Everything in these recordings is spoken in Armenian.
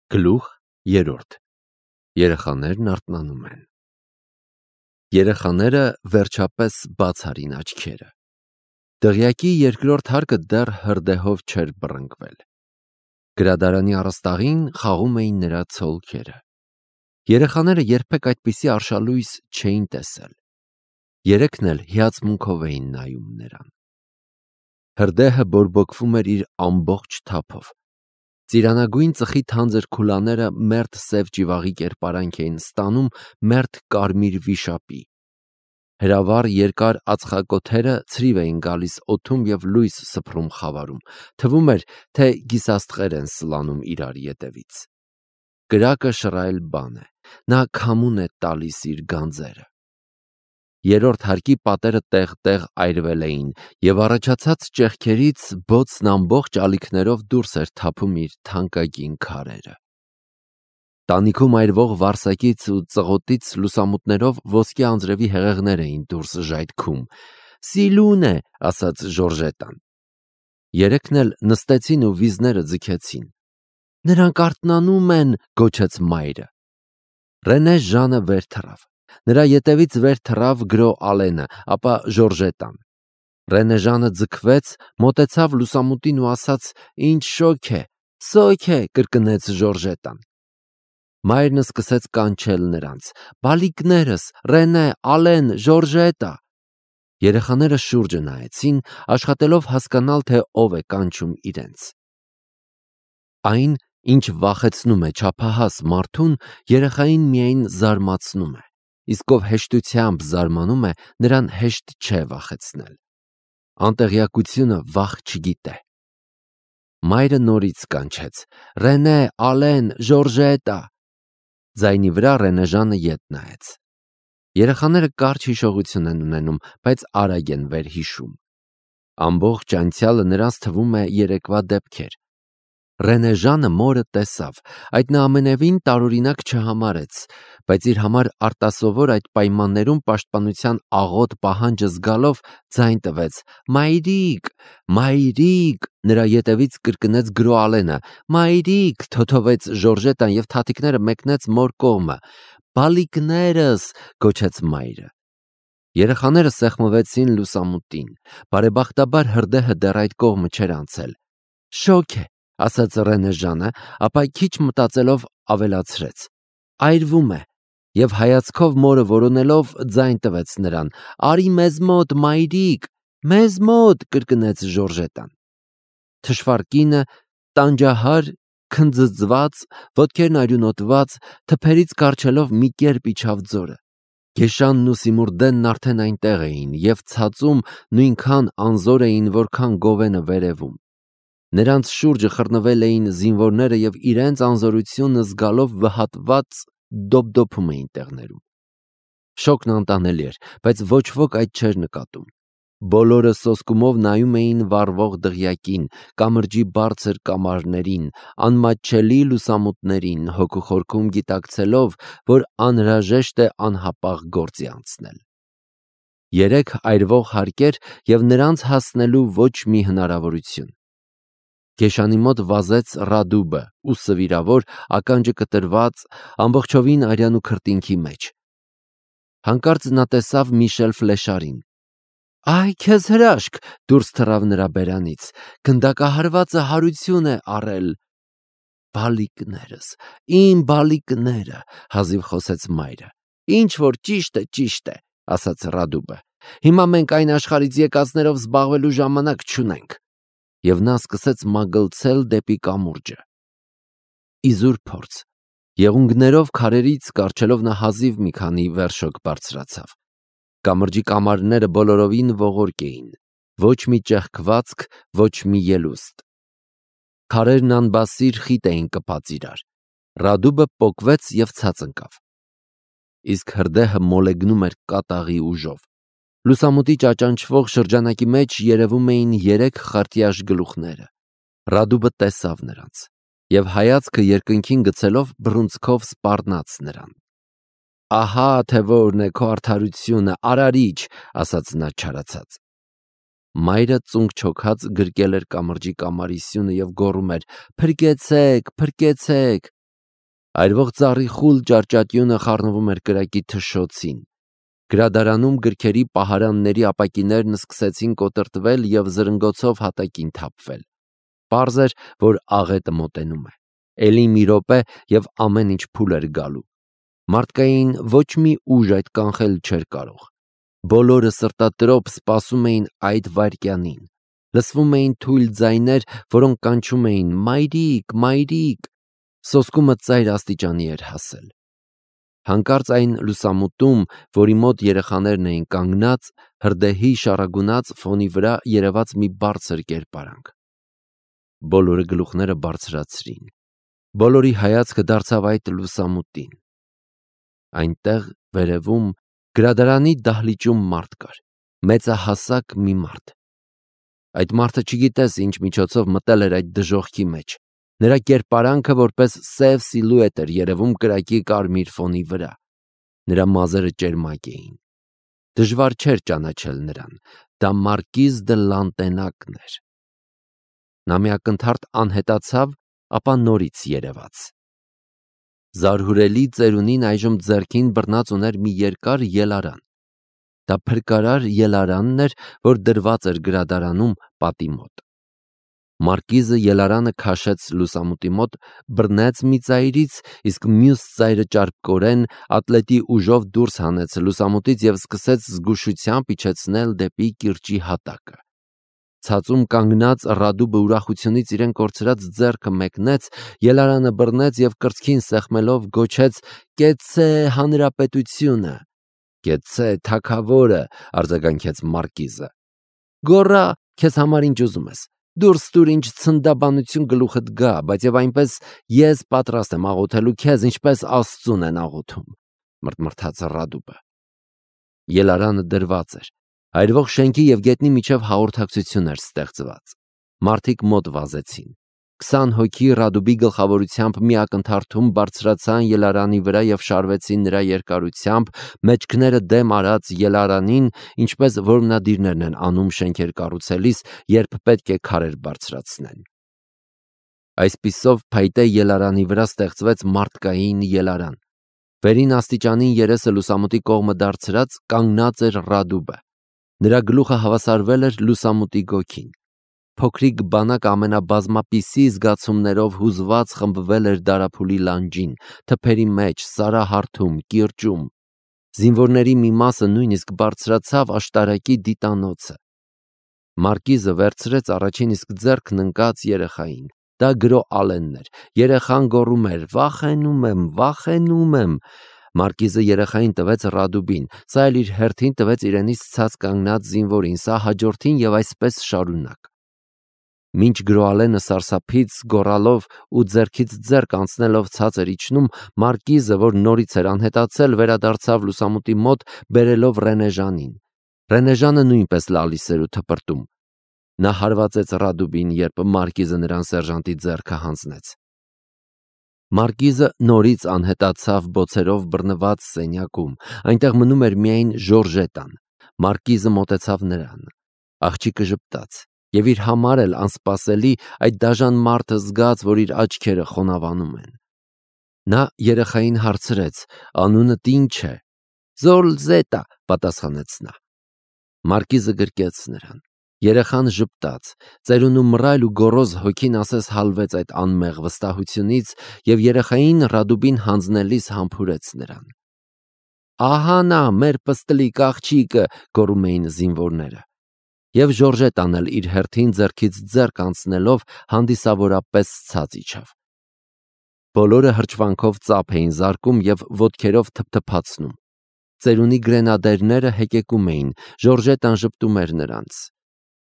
Գլուխ երրորդ. Երեխաներն արթնանում են։ Երեխաները վերջապես բաց արին աչքերը։ Դղյակի երկրորդ հարկը դեռ հրդեհով չէր բռնկվել։ Գրադարանի առաստաղին խաղում էին նրա ցոլքերը։ Երեխաները երբեք այդպիսի արշալույս չէին տեսել։ Երեքն էլ հիացմունքով էին նայում նրան։ Հրդեհը բորբոքվում էր իր ամբողջ թափով։ Ծիրանագույն ծխի թանձր քուլաները մերթ սև ճիվաղի կերպարանք էին ստանում մերթ կարմիր վիշապի։ Հրավառ երկար ածխակոթերը ցրիվ էին գալիս օդում և լույս սփռում խավարում, թվում էր, թե գիսաստղեր են սլանում իրար ետևից։ Կրակը շռայլ բան է, նա քամուն է տալիս իր գանձերը։ Երրորդ հարկի պատերը տեղ-տեղ այրվել էին, և առաջացած ճեղքերից բոցն ամբողջ ալիքներով դուրս էր թափում իր թանկագին քարերը։ Տանիքում այրվող վարսակից ու ծղոտից լուսամուտներով ոսկե անձրևի հեղեղներ էին դուրս ժայթքում։ «Սիլուն է», ասաց Ժորժետան։ Երեքն էլ նստեցին ու վիզները ձգեցին։ «Նրանք արթնանում են», գոչեց մայրը։ Ռենե Ժանը վեր թռավ։ Նրա ետևից վեր թռավ գրո Ալենը, ապա Ժորժետան։ Ռենե Ժանը ձգվեց, մոտեցավ լուսամուտին ու ասաց. «Ինչ շոգ է, սոք է», կրկնեց Ժորժետան։ Մայրն սկսեց կանչել նրանց. «Բալիկներս, Ռենե, Ալեն, Ժորժետա»։ Երեխաները շուրջը նայեցին, աշխատելով հասկանալ, թե ով է կանչում իրենց։ Այն, ինչ վախեցնում է չափահաս մարդուն, երեխային միայն զարմացնում է, իսկ ով հեշտությամբ զարմանում է, նրան հեշտ չէ վախեցնել։ Անտեղյակությունը վախ չգիտե։ Մայրը նորից կանչեց. «Ռենե, Ալեն, Ժորժետա»։ Ձայնի վրա Ռենե Ժանը ետ նայեց։ Երեխաները կարճ հիշողություն են ունենում, բայց արագ են վերհիշում։ Ամբողջ անցյալը նրանց թվում է երեկվա դեպքեր։ Ռենե Ժանը մորը տեսավ, այդ նա ամենևին տարօրինակ չհամարեց, բայց իր համար արտասովոր այդ պայմաններում պաշտպանության աղոտ պահանջը զգալով ձայն տվեց. «Մայրիկ, մայրիկ», նրա ետևից կրկնեց գրո Ալենը։ «Մայրիկ», թոթովեց Ժորժետան և թաթիկները մեկնեց մոր կողմը։ «Բալիկներս», գոչեց մայրը։ Երեխաները սեղմվեցին լուսամուտին։ Բարեբախտաբար հրդեհը դեռ այդ կողմը չէր անցել։ «Շոգ է», ասաց Ռենե Ժանը, ապա քիչ մտածելով ավելացրեց. «Այրվում է», և հայացքով մորը որոնելով ձայն տվեց նրան. «Արի մեզ մոտ, մայրիկ»։ «Մեզ մոտ», կրկնեց Ժորժետան։ Թշվառ կինը, տանջահար, քնձձված, ոտքերն արյունոտված, թփերից կառչելով մի կերպ իջավ ձորը։ Գեշանն ու Սիմուրդենն արդեն այնտեղ էին և ցածում նույնքան անզոր էին, որքան գովենը վերևում։ Նրանց շուրջը խռնվել էին զինվորները և իրենց անզորությունը զգալով վհատված դոպդոպում էին տեղներում։ Շոգն անտանելի էր, բայց ոչ ոք այդ չէր նկատում։ Բոլորը սոսկումով նայում էին վառվող դղյակին, կամրջի բարձր կամարներին, անմատչելի լուսամուտներին, հոգուխորքում գիտակցելով, որ անհրաժեշտ է անհապաղ գործի անցնել։ Երեք այրվող հարկեր և նրանց հասնելու ոչ մի հնարավորություն։ Գեշանի մոտ վազեց Ռադուբը, ուսը վիրավոր, ականջը կտրված, ամբողջովին արյան ու քրտինքի մեջ։ Հանկարծ նա տեսավ Միշել Ֆլեշարին։ «Այ քեզ հրաշք», դուրս թռավ նրա բերանից, «գնդակահարվածը հարություն է առել»։ «Բալիկներս, իմ բալիկները», հազիվ խոսեց մայրը։ «Ինչ որ ճիշտ է», ասաց Ռադուբը։ «Հիմա մենք այն աշխարհից եկածներով զբաղվելու ժամանակ չունենք»։ Եվ նա սկսեց մագլցել դեպի կամուրջը։ Իզուր փորձ։ Եղունգներով քարերից կառչելով նա հազիվ մի քանի վերշոկ բարձրացավ։ Կամրջի կամարները բոլորովին ողորկ էին։ Ոչ մի ճեղքվածք, ոչ մի ելուստ։ Քարերն անբասիր խիտ էին կպած իրար։ Ռադուբը պոկվեց և ցած ընկավ։ Իսկ հրդեհը մոլեգնում էր կատաղի ուժով։ Լուսամուտի ճաճանչվող շրջանակի մեջ երևում էին երեք խարտյաշ գլուխները։ Ռադուբը տեսավ նրանց և հայացքը երկնքին գցելով բռունցքով սպառնաց նրան։ «Ահա թե որն է քո արդարությունը, արարիչ», ասաց նա չարացած։ Մայրը ծունկ չոքած գրկել էր կամրջի կամարի սյունը և գոռում էր. «Փրկեցեք, փրկեցեք»։ Այրվող ծառի խուլ ճարճատյունը խառնվում էր կրակի թշոցին։ Գրադարանում գրքերի պահարանների ապակիներն սկսեցին կոտրտվել և զրնգոցով հատակին թափվել։ Պարզ էր, որ աղետը մոտենում է։ Էլի մի րոպե և ամեն ինչ փուլ էր գալու։ Մարդկային ոչ մի ուժ այդ կանխել չէր կարող։ Բոլորը սրտատրոփ սպասում էին այդ վայրկյանին։ Լսվում էին թույլ ձայներ, որոնք կանչում էին «Մայրիկ, մայրիկ»։ Սոսկումը ծայր աստիճանի էր հասել։ Հանկարծ այն լուսամուտում, որի մոտ երեխաներն էին կանգնած, հրդեհի շառագունած ֆոնի վրա երևաց մի բարձր կերպարանք։ Բոլորը գլուխները բարձրացրին։ Բոլորի հայացքը դարձավ այդ լուսամուտին։ Այնտեղ վերևում գրադարանի դահլիճում մարդ կար, մեծահասակ մի մարդ։ Այդ մարդը չգիտես ինչ միջոցով մտել էր այդ դժոխքի մեջ։ Նրա կերպարանքը որպես սև սիլուետ էր երևում կրակի կարմիր ֆոնի վրա։ Նրա մազերը ճերմակ էին։ Դժվար չէր ճանաչել նրան։ Դա Մարկիզ դը Լանտենակն էր։ Նա մի ակնթարթ անհետացավ, ապա նորից երևաց։ Զարհուրելի ծերունին այժմ ձեռքին բռնած ուներ մի երկար ելարան։ Դա փրկարար ելարանն էր, որ դրված էր գրադարանում պատի մոտ։ Մարկիզը ելարանը քաշեց լուսամուտի մոտ, բռնեց մի ծայրից, իսկ մյուս ծայրը ճարպկորեն ատլետի ուժով դուրս հանեց լուսամուտից և սկսեց զգուշությամբ իջեցնել դեպի կիրճի հատակը։ Ցածում կանգնած Ռադուբը ուրախությունից իրեն կորցրած ձեռքը մեկնեց, ելարանը բռնեց և կրծքին սեղմելով գոչեց. «Կեցցե հանրապետությունը»։ «Կեցցե թագավորը», արձագանքեց Մարկիզը։ «Գոռա, քեզ համար ինչ ուզում ես։ Դուրս տուր ինչ ցնդաբանություն գլուխդ գա, բայց և այնպես ես պատրաստ եմ աղոթելու քեզ, ինչպես Աստծուն են աղոթում», մրթմրթաց Ռադուբը։ Ելարանը դրված էր։ Այրվող շենքի և գետնի միջև հաղորդակցություն էր ստեղծված։ Մարդիկ մոտ վազեցին։ 20 հոգի Ռադուբի գլխավորությամբ մի ակնթարթում բարձրացան ելարանի վրա և շարվեցին նրա երկարությամբ, մեջքները դեմ արած ելարանին, ինչպես որմնադիրներն են անում շենքեր կառուցելիս, երբ պետք է քարեր բարձրացնեն։ Այսպիսով փայտե ելարանի վրա ստեղծվեց մարդկային ելարան։ Վերին աստիճանին երեսը լուսամուտի կողմը դարձրած կանգնած էր Ռադուբը։ Նրա գլուխը հավասարվել էր լուսամուտի գոգին։ Փոքրիկ բանակ ամենաբազմապիսի զգացումներով հուզված խմբվել էր դարափուլի լանջին, թփերի մեջ, սարահարթում, կիրճում։ Զինվորների մի մասը նույնիսկ բարձրացավ աշտարակի դիտանոցը։ Մարկիզը վերցրեց առաջին իսկ ձեռքն ընկած երեխային։ Դա գրո Ալենն էր։ Երեխան գոռում էր. «Վախենում եմ, վախենում եմ»։ Մարկիզը երեխային տվեց Ռադուբին, սա էլ իր հերթին տվեց իրենից ցած կանգնած զինվորին, սա հաջորդին և այսպես շարունակ։ Մինչ գրոալենը սարսափից գոռալով ու ձեռքից ձեռք անցնելով ցած էր իջնում, Մարկիզը, որ նորից էր անհետացել, վերադարձավ լուսամուտի մոտ, բերելով Ռենեժանին։ Ռենեժանը նույնպես լալիս էր ու թպրտում։ Նա հարվածեց Ռադուբին, երբ Մարկիզը նրան սերժանտի ձեռքը հանձնեց։ Մարկիզը նորից անհետացավ բոցերով բռնված սենյակում, այնտեղ մնում էր միայն Ժորժետան։ Մարկիզը մոտեցավ նրան։ Աղջիկը ժպտաց, և իր համար էլ անսպասելի այդ դաժան մարդը զգաց, որ իր աչքերը խոնավանում են։ Նա երեխային հարցրեց. «Անունդ ի՞նչ է»։ «Զոլզետա», պատասխանեց նա։ Մարկիզը գրկեց նրան։ Երեխան ժպտաց, ծերունու մռայլ ու գոռոզ հոգին ասես հալվեց այդ անմեղ վստահությունից և երեխային Ռադուբին հանձնելիս համբուրեց նրան։ «Ահա նա, մեր պստլիկ աղջիկը», գոռում էին զինվորները։ Եվ Ժորժետան էլ իր հերթին ձեռքից ձեռք անցնելով հանդիսավորապես ցած իջավ։ Բոլորը հրճվանքով ծափ էին զարկում և ոտքերով թփթփացնում։ Ծերունի գրենադերները հեկեկում էին, Ժորժետան ժպտում էր նրանց։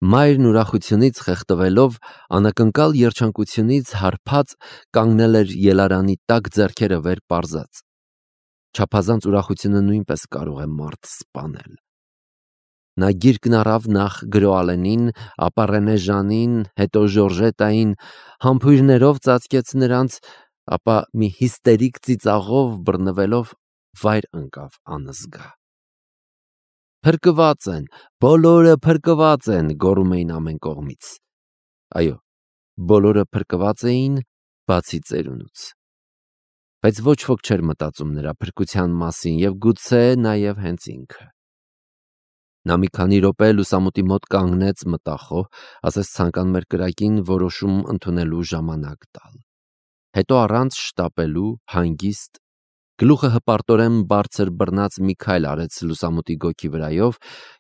Մայրն ուրախությունից խեղդվելով, անակնկալ երջանկությունից հարբած, կանգնել էր ելարանի տակ ձեռքերը վեր պարզած։ Չափազանց ուրախությունը նույնպես կարող է մարդ սպանել։ Նա գիրկն առավ նախ գրոալենին, ապա Ռենեժանին, հետո Ժորժետային, համբույրներով ծածկեց նրանց, ապա մի հիստերիկ ծիծաղով բռնվելով վայր ընկավ անզգա։ «Փրկված են, բոլորը փրկված են», գոռում էին ամեն կողմից։ Այո, բոլորը փրկված էին, բացի ծերունուց։ բայց ոչ ոք չէր մտածում նրա փրկության մասին և գուցե նաև հենց ինքը։ Նա մի քանի րոպե լուսամուտի մոտ կանգնեց մտախոհ, ասես ցանկանում էր կրակին որոշում ընդունելու ժամանակ տալ։ Հետո առանց շտապելու, հանգիստ, գլուխը հպարտորեն բարձր բռնած մի քայլ արեց լուսամուտի գոգի վրայով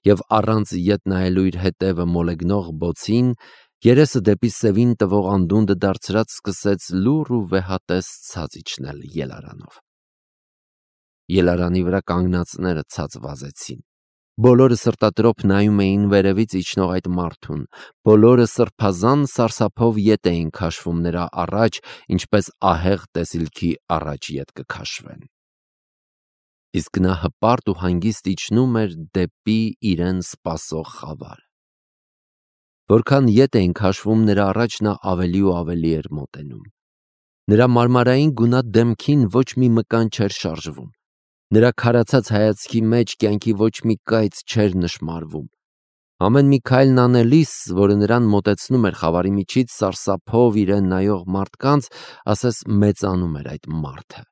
և առանց ետ նայելու իր հետևը մոլեգնող բոցին, երեսը դեպի սևին տվող անդունդը դարձրած սկսեց լուռ ու վեհատես ցած իջնել ելարանով։ Ելարանի վրա կանգնածները ցած վազեցին։ Բոլորը սրտատրոփ նայում էին վերևից իջնող այդ մարդուն, բոլորը սրբազան սարսափով ետ էին քաշվում նրա առաջ, ինչպես ահեղ տեսիլքի առաջ ետ կքաշվեն։ Իսկ նա հպարտ ու հանգիստ իջնում էր դեպի իրեն սպասող խավարը։ Որքան ետ էին քաշվում նրա առաջ, նա ավելի ու ավելի էր մոտենում։ Նրա մարմարային գունատ դեմքին ոչ մի մկան չէր շարժվում։ Նրա քարացած հայացքի մեջ կյանքի ոչ մի կայծ չէր նշմարվում։ Ամեն մի քայլն անելիս, որը նրան մոտեցնում էր խավարի միջից սարսափով իրեն նայող մարդկանց, ասես մեծանում էր այդ մարդը։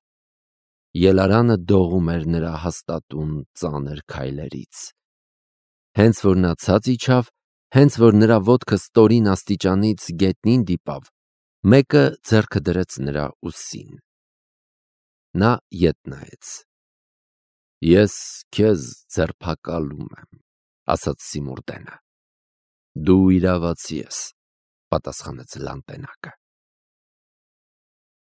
Ելարանը դողում էր նրա հաստատուն ծանր քայլերից։ Հենց որ նա ցած իջավ, հենց որ նրա ոտքը ստորին աստիճանից գետնին դիպավ, մեկը ձեռքը դրեց նրա ուսին։ Նա ետ նայեց։ «Ես քեզ ձերբակալում եմ», ասաց Սիմուրդենը։ «Դու իրավացի ես», պատասխանեց Լանտենակը։